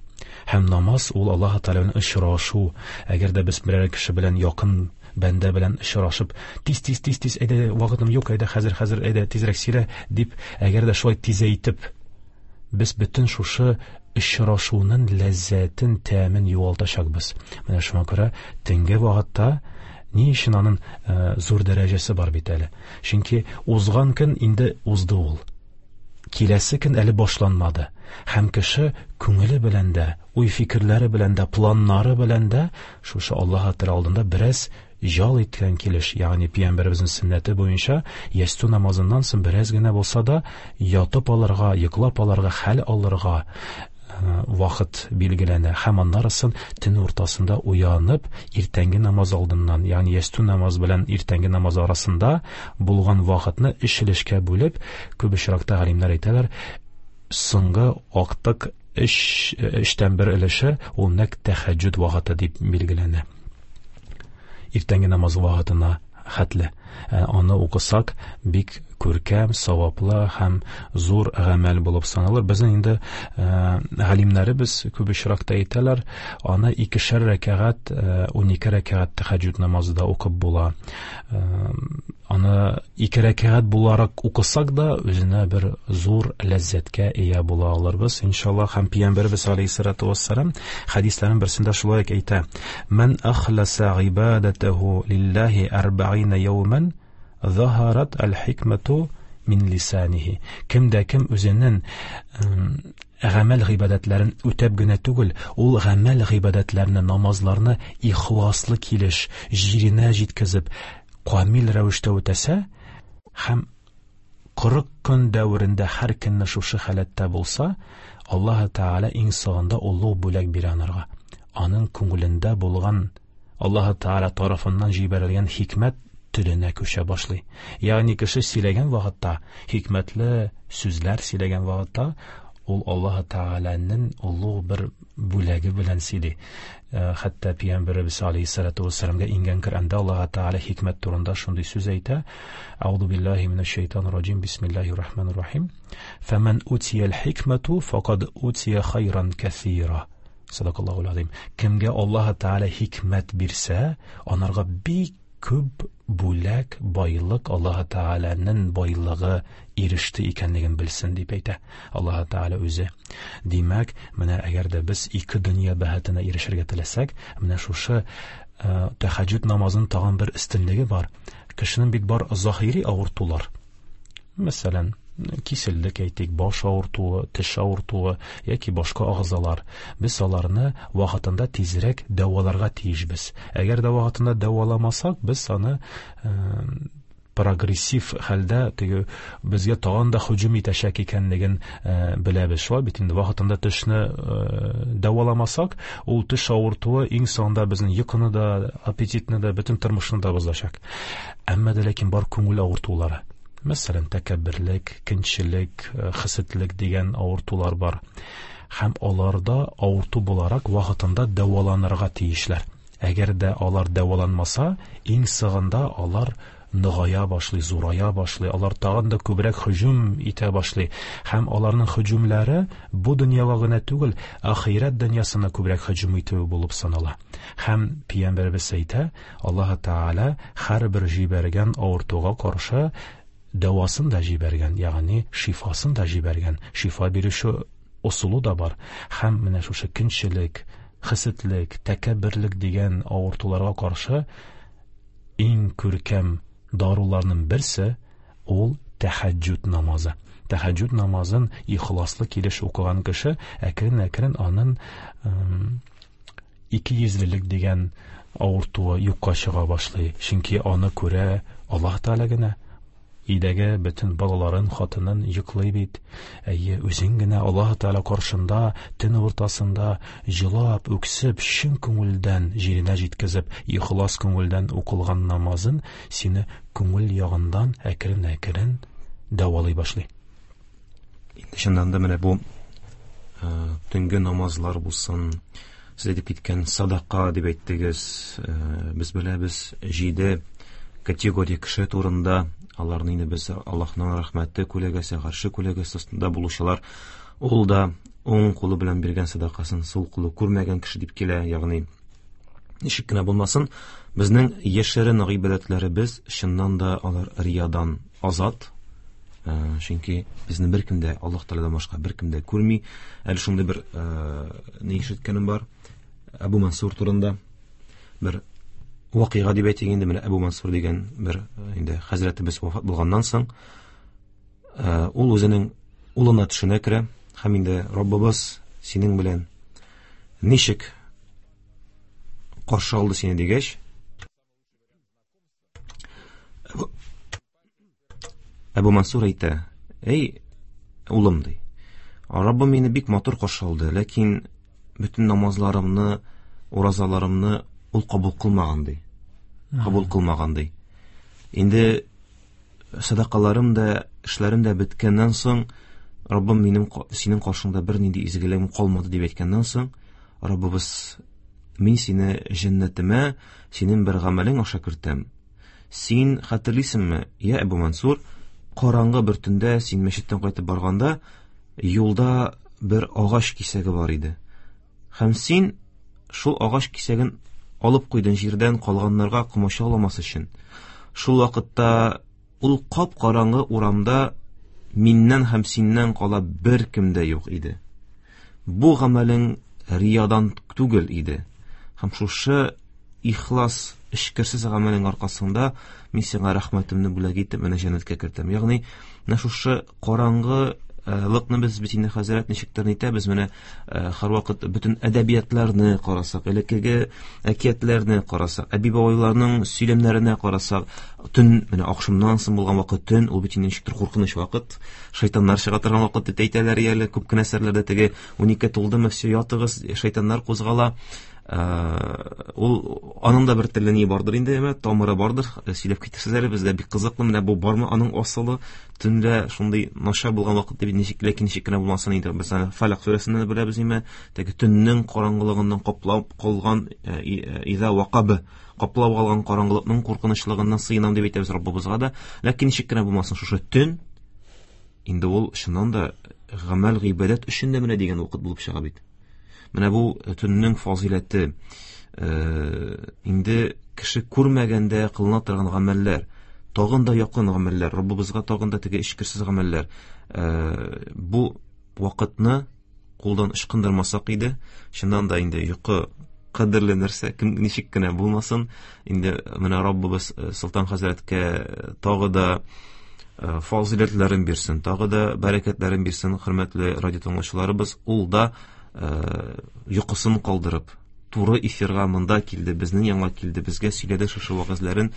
[SPEAKER 5] Һәм намаз ул Аллаһ Тәгалә белән очрашу. Әгәр дә без берәр кеше белән якын бәндә белән очрашып, тиз, тиз, тиз, тиз, әйдә, вакытым юк, әйдә, хәзер, хәзер, әйдә, тизрәк сөйлә, дип, әгәр дә шулай тизәйтеп, без бөтен шушы очрашуның ләззәтен, тәмен югалтачакбыз. Менә шуңа күрә төнге вакытта ни өчен аның зур дәрәҗәсе бар бит әле? Чөнки узган көн инде узды ул. Киләсе көн әле башланмады. Һәм кеше күңеле белән дә, уй-фикерләре белән дә, планнары белән дә шушы Аллаһ Тәгалә алдында бераз жал иткән килеш, ягъни Пәйгамбәребезнең сөннәте буенча ястү намазыннан соң бераз генә булса да ятып алырга, йоклап алырга, хәл алырга вакыт билгеләнә. Һәм аннары соң төн уртасында уянып, иртәнге намаз алдыннан, ягъни ястү намаз белән иртәнге намаз арасында булган вакытны өч өлешкә бүлеп, күп очракта галимнәр әйтәләр, соңгы актык өчтән бер өлеше ул нәкъ тәһәҗҗүд вакыты дип билгеләнә. Иртәнге намаз вакытына хәтле. Аны укысак, бик күркәм, саваплы һәм зур гамәл булып саналыр. Безнең инде галимнәребез күп очракта әйтәләр, аны икешәр рәкәгать, унике рәкәгать тәһәҗҗүд намазы да укып була. Аны ике рәкәгать буларак укысак да, үзенә бер зур ләззәткә ия була алырбыз, иншаллаһ. Һәм Пәйгамбәребез алейһиссалату вассалам хәдисләрнең берсендә шулай ук әйтә: Ман ахласа гыйбадатаху лиллаһи арбаина яуман заһарат аль-хикмату мин лисанихи. Кем дә кем үзенең гамәл гыйбадәтләрен үтәп генә түгел, ул гамәл гыйбадәтләрне, намазларны ихласлы килеш, җиренә җиткезеп, камил рәвештә үтәсә һәм 40 көн дәверендә һәр көнне шушы халәттә булса, Аллаһ Тәгалә иң соңында олуг бүләк бирә анарга. Аның күңелендә булган Аллаһ Тәгалә тарафыннан җибәрелгән хикмәт теленә күчә башлый. Ягъни кеше сөйләгән вакытта, хикмәтле сүзләр сөйләгән вакытта, ул Аллаһ Тәгаләнең олуг бер бүләге белән сөйли. Хәтта Пәйгамбәребез алейһиссалату вассаламга иңгән Коръәндә Аллаһ Тәгалә хикмәт турында шундый сүз әйтә: Аузу биллаһи минәш шайтанир раҗим. Бисмиллаһир рахманир рахим. Фәмән утиял хикмәту факад утия хайран кәсира. Садакаллаһу азим. Кемгә Аллаһ Тәгалә хикмәт бирсә, анарга бик күп бүләк, байлык, Аллаһ Тәгаләнең байлыгы иреште икәнлеген белсен дип әйтә Аллаһ Тәгалә үзе. Димәк, менә әгәр дә без ике дөнья бәхетенә ирешергә теләсәк, менә шушы тәһәҗҗүд намазының тагын бер өстенлеге бар. Кешенең бит бар заһири авыртулар. Мәсәлән, киселдек әйтик, баш авыртуы, теш авыртуы яки башка агъзалар. Без аларны вакытында тизрәк дәваларга тиешбез. Әгәр дә вакытында дәваламасак, без аны прогрессив хәлдә теге безгә тагын да һөҗүм итәчәк икәнлеген беләбез. Шулай бит инде вакытында тешне дәваламасак, ул теш авыртуы иң соңында безнең йокыны да, аппетитны да, бөтен тормышны да бозачак. Әмма дә ләкин бар күңел авыртулары. Мәсәлән, тәкәбберлек, көнчелек, хәсәтлек дигән авыртулар бар. Һәм аларда авырту буларак вакытында дәваланырга тиешләр. Әгәр дә алар дәваланмаса, иң соңында алар ныгая башлый, зурая башлый, алар тагын да күбрәк һөҗүм итә башлый. Һәм аларның һөҗүмләре бу дөньяга гына түгел, ахирәт дөньясына күбрәк һөҗүм итүе булып санала. Һәм Пәйгамбәребез әйтә, Аллаһ Тәгалә һәрбер җибәргән авыртуга каршы дәвасын да җибәргән, ягъни шифасын да җибәргән. Шифа бирүче ысулы да бар. Һәм менә шушы көнчелек, хәсәтлек, тәкәбберлек дигән авыртуларга каршы иң күркәм даруларның берсе ул тәһәҗҗүд намазы. Тәһәҗҗүд намазын ихласлы килеш укыган кеше әкрен-әкрен аның икейөзлелек дигән авыртуы юкка чыга башлый. Чөнки аны күрә Аллаһ Тәгалә генә. Өйдәге бөтен балаларын, хатынын йоклый бит. Әйе, үзең генә Аллаһ Тәгалә каршында төн уртасында җылап, үксеп, чын күңелдән җиренә җиткезеп, ихлас күңелдән укылган намазын сине күңел ягыннан әкрен-әкрен дәвалый башлый.
[SPEAKER 4] Инде чыннан да менә бу төнге намазлар булсын, сез әйтеп киткән садака дип әйттегез, без беләбез 7 категория кеше турында, аларны инде без Аллаһның рәхмәте күләгәсе, гарше күләгәсе астында булучылар, ул да уң кулы белән биргән садакасын сул кулы күрмәгән кеше дип килә, ягъни ничек кенә булмасын, безнең яшерен гыйбадәтләребез чыннан да алар риядан азат, чөнки безне беркем дә Аллаһ Тәгаләдән башка беркем дә күрми. Әле шундый бер ни ишеткәнем бар, Әбу Мансур турында бер вакыйга дип әйтик инде, менә Әбу Мансур дигән бер инде хәзрәтебез вафат булганнан соң, ул үзенең улына төшенә керә һәм инде Раббыбыз синең белән ничек каршы алды сине дигәч, Әбу Мансур әйтә: "Эй, улым, ди, Раббым мине бик матур каршы алды, ләкин бөтен намазларымны, уразаларымны ул кабул кылмаган, ди. Кабул кылмаган, ди. Инде садакаларым да, эшләрем дә беткәннән соң, Раббым минем синең каршыңда бернинди изгелегем калмады дип әйткәннән соң, Раббыбыз, мин сине җәннәтемә синең бер гамәлең аша кертәм. Син хәтерлисеңме, я Әбу Мансур, караңгы бер төндә син мәчеттән кайтып барганда, юлда бер агач кисәге бар иде. Һәм син шул агач кисәген алып куйдың җирдән калганнарга комачауламас өчен. Шул вакытта ул кап-караңгы урамда миннән һәм синнән кала беркем дә юк иде. Бу гамәлең риядан түгел иде. Һәм шушы ихлас эчкерсез гамәлең аркасында мин сиңа рәхмәтемне бүләк итеп менә җәннәткә кертәм. Ягъни менә шушы караңгы лыкны без бит инде хәзрәт ничектер нитәбез, менә һәрвакыт бөтен әдәбиятларны карасак, элеккеге әкиятләрне карасак, әби-бабайларның сөйләмнәренә карасак, төн менә ахшамнан соң булган вакыт төн, ул бит инде ничектер куркыныч вакыт, шайтаннар чыга торган вакыт дип әйтәләр әле күп кенә әсәрләрдә, теге 12 тулдымы, все, ятыгыз, шайтаннар кузгала. Ул аның да бер теле ни бардыр инде, әмма тамыры бардыр, сөйләп китерсез әле, безгә бик кызыклы, менә бу бармы аның асылы, төнлә шундый начар булган вакыт дип ничек, ләкин ничек кенә булмасын инде, без аны Фалак сүрәсеннән дә беләбез инде, теге төннең караңгылыгыннан каплап калган, иза вакабы, каплап алган караңгылыкның куркынычлыгыннан сыенам дип әйтәбез Раббыбызга да, ләкин ничек кенә булмасын, шушы төн инде ул чыннан да гамәл гыйбадәт өчен дә менә дигән вакыт булып чыга бит. Менә бу төннең фазиләте, инде кеше күрмәгәндә кылына торган гамәлләр, тагын да якын гамәлләр, Раббыбызга тагын да теге эчкерсез гамәлләр. Бу вакытны кулдан ычкындырмасак иде, чыннан да инде йокы кадерле нәрсә, кем ничек кенә булмасын, инде менә Раббыбыз Солтан хәзрәткә тагы да фазиләтләрен бирсен, тагы да бәрәкәтләрен бирсен, хөрмәтле радио тыңлаучыларыбыз, ул да йокысын калдырып, туры эфирга монда килде, безнең янга килде, безгә сөйләде шушы вәгазьләрен.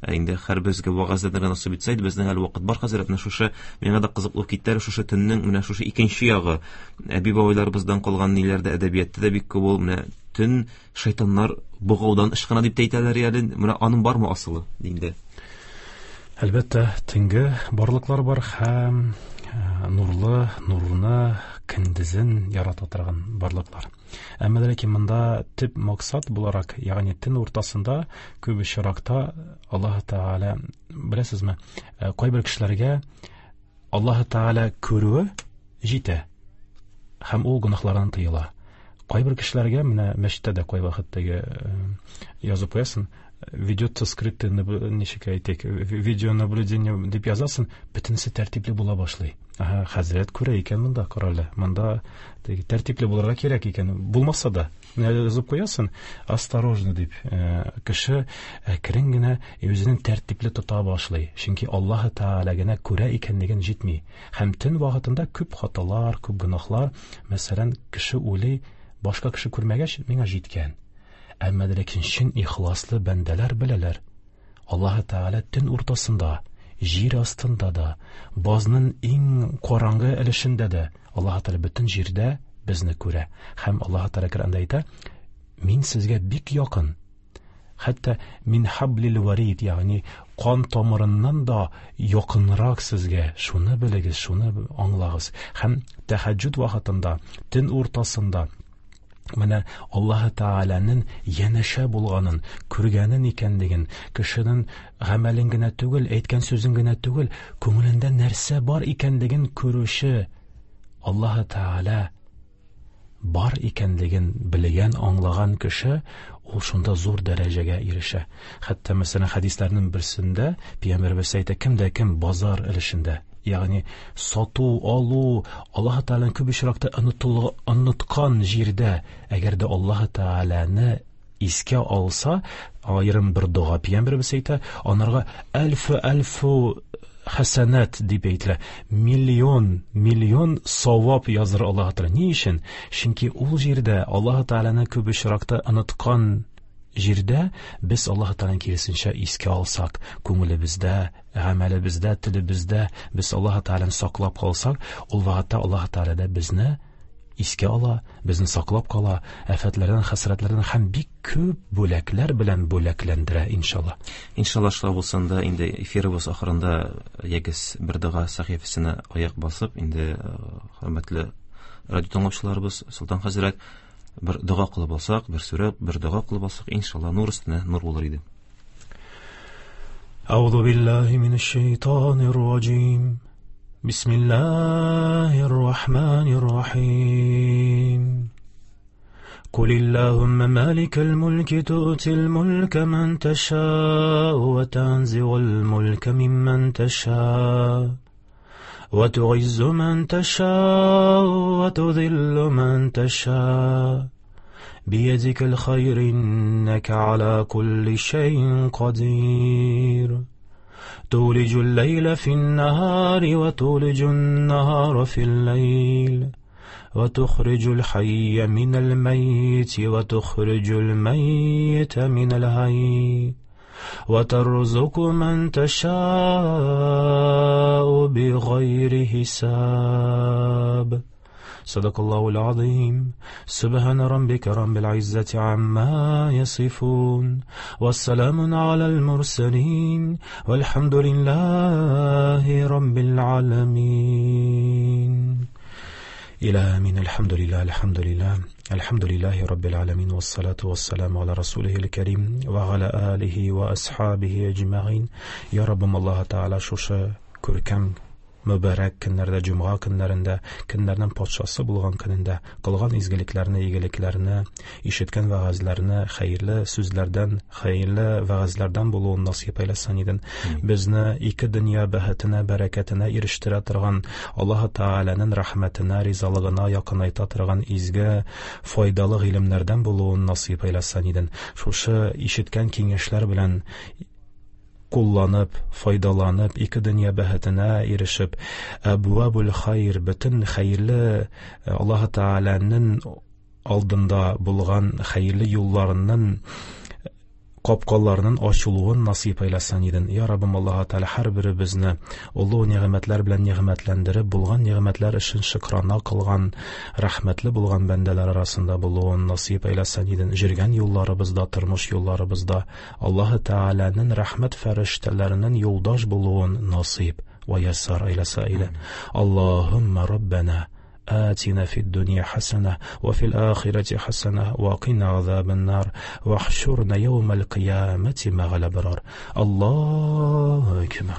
[SPEAKER 4] Инде һәрберебезгә вәгазьләргә насыйп итсә иде, безнең әле вакыт бар хәзрәт, менә шушы миңа да кызык булып китте, шушы төннең менә шушы икенче ягы, әби-бабайларыбыздан калган ниләрдә, әдәбиятта да бик күп ул, менә төн шайтаннар богаудан ычкына дип тә әйтәләр әле, менә аның бармы асылы инде?
[SPEAKER 5] Әлбәттә, төнге барлыклар бар һәм нурлы, нурны көндезен ярата торган барлыклар. Әмма ләкин монда төп максат буларак, ягъни төн уртасында күп очракта Аллаһ Тәгалә, беләсезме, кайбер кешеләргә Аллаһ Тәгалә күрүе җитә һәм ул гөнаһлардан тыела. Кайбер кешеләргә менә мәчеттә дә кайвакыт теге язып куясың, ведется скрытое, ничек әйтик, видеонаблюдение дип язасың, бөтенесе тәртипле була башлый. Ага, хәзрәт күрә икән монда, карале, монда теге тәртипле булырга кирәк икән. Булмаса да, менә язып куясың, осторожно дип, кеше әкрен генә үзенең тәртипле тота башлый. Чөнки Аллаһ Тәгалә генә күрә икәнлеген җитми. Һәм төн вакытында күп хаталар, күп гөнаһлар, мәсәлән, кеше уйлый, башка кеше күрмәгәч, миңа җиткән. Әмма ләкин чын ихласлы бәндәләр беләләр. Аллаһ Тәгалә төн уртасында, җир астында да, базның иң караңгы өлешендә дә Аллаһ Тәгалә бөтен җирдә безне күрә. Һәм Аллаһ Тәгалә Коръәндә әйтә, мин сезгә бик якын. Хәтта мин хаблил варид, ягъни кан тамырыннан да якынрак сезгә. Шуны белегез, шуны аңлагыз. Һәм тәһәҗҗүд вакытында, төн уртасында менә Аллаһ Тәгаләнең янәшә булганын, күргәнен икәнлеген, кешенең гамәлен генә түгел, әйткән сүзен генә түгел, күңелендә нәрсә бар икәнлеген күрүче Аллаһ Тәгалә бар икәнлеген белгән, аңлаган кеше ул шунда зур дәрәҗәгә ирешә. Хәтта, мәсәлән, хәдисләрнең берсендә Пәйгамбәребез әйтә, кем дә кем базар өлешендә, ягъни сату, алу, Аллаһ Тәгаләне күп очракта оныткан җирдә, әгәр дә Аллаһ Тәгаләне искә алса, аерым бер дога Пәйгамбәребез әйтә, анарга әлфу әлфу хәсәнәт дип әйтелә. Миллион, миллион савап языр Аллаһ Тәгалә. Ни өчен? Чөнки ул җирдә Аллаһ Тәгаләне күп очракта оныткан җирдә без Аллаһ Тәгаләне киресенчә искә алсак, күңелебездә, гамәлебездә, телебездә без Аллаһ Тәгаләне саклап калсак, ул вакытта Аллаһ Тәгалә дә безне искә ала, безне саклап кала, афәтләрдән, хәсрәтләрдән һәм бик күп бүләкләр белән бүләкләндерә, иншалла.
[SPEAKER 4] Иншалла, шулай булсын да, инде эфирыбыз ахырында ягез бер дога сәхифәсенә аяк басып, инде хөрмәтле радио тыңлаучыларыбыз, Солтан хәзрәт, бер дога кылып алсак, бер сүрә, бер дога кылып алсак, иншалла, нур өстенә нур булыр иде.
[SPEAKER 5] Әгъузу биллаһи минәш-шәйтанир раҗим. Бисмиллаһир рахманир рахим. قل اللهم مالك الملك تؤتي الملك من تشاء وتنزع الملك ممن تشاء وتعز من تشاء وتذل من تشاء بيدك الخير إنك على كل شيء قدير. تولج الليل في النهار وتولج النهار في الليل، وتخرج الحي من الميت وتخرج الميت من الحي، وترزق من تشاء بغير حساب. صدق الله العظيم. سبحان ربك رب العزة عما يصفون، والسلام على المرسلين، والحمد لله رب العالمين. إلى آمين. الحمد لله، الحمد لله، الحمد لله رب العالمين، والصلاة والسلام على رسوله الكريم وعلى آله وأصحابه أجمعين. يا رب الله تعالى шушы күркәм мөбарәк көннәрдә, җомга көннәрендә, көннәрнең патшасы булган көнендә кылган изгелекләрне, игелекләрне, ишеткән вәгазьләрне хәерле сүзләрдән, хәерле вәгазьләрдән булуын насыйп әйләсен иден. Безне ике дөнья бәхетенә, бәрәкәтенә ирештерә торган, Аллаһ Тәгаләнең рәхмәтенә, ризалыгына якынайта торган изге, файдалы гыйлемнәрдән булуын насыйп әйләсен иден. Шушы ишеткән киңәшләр белән кулланып, файдаланып, ике дөнья бәхетенә ирешеп, әбвабул хайр, бөтен хәерле Аллаһ Тәгаләнең алдында булган хәерле юлларының капкаларының ачылуын насыйп әйләсен иден. Я Раббым Аллаһ Тәгалә һәрберебезне олы нигъмәтләр белән нигъмәтләндереп, булган нигъмәтләр өчен шөкрана кылган, рәхмәтле булган бәндәләр арасында булуын насыйп әйләсен иден. Жүргән юлларыбызда, тормыш юлларыбызда Аллаһ Тәгаләнең рәхмәт фәрештәләренең юлдаш булуын насыйп вә яссар әйләсә иде. Аллаһумма Раббана آتنا في الدنيا حسنة وفي الآخرة حسنة وقنا عذاب النار واحشرنا يوم القيامة مع الأبرار. الله أكبر.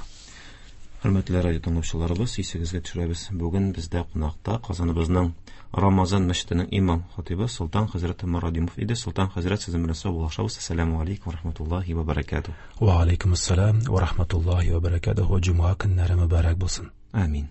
[SPEAKER 4] Хөрмәтле радио тыңлаучыларыбыз, исегезгә төшерәбез. Бүген бездә кунакта Казаныбызның Рамазан мәчетенең имам хатибы Солтан хәзрәт Морадимов иде. Солтан хәзрәт, сезнең белән саубуллашабыз. Ассаламу алейкум ва рахматуллахи ва баракатуһ.
[SPEAKER 5] Ва алейкум ассалам ва рахматуллахи ва баракатуһ. Җомга көннәре мөбарәк булсын.
[SPEAKER 4] Амин.